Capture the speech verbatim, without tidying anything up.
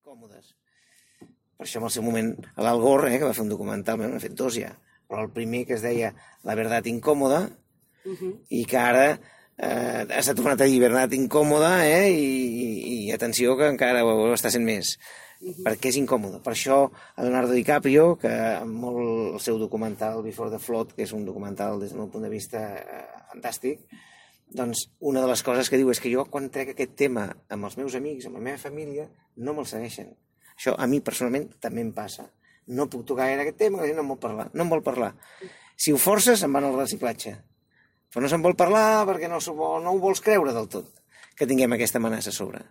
còmodes. Per això en el seu moment l'Al Gore, eh, que va fer un documental, n'ha fet dos ja, però el primer que es deia La verdad incòmoda, uh-huh. i que ara eh, s'ha tornat a dir Verdad incòmoda, eh, i, i, i atenció que encara ho, ho està sent més, uh-huh. perquè és incòmode. Per això Leonardo DiCaprio, que amb molt el seu documental Before the Flood, que és un documental des del meu punt de vista eh, fantàstic, doncs una de les coses que diu és que jo quan trec aquest tema amb els meus amics, amb la meva família, no me'l segueixen. Això a mi personalment també em passa. No puc tocar gaire aquest tema, la gent no em vol parlar. No em vol parlar. Si ho forces, em van al reciclatge. Però no se'n vol parlar perquè no, no ho vols creure del tot, que tinguem aquesta amenaça a sobre.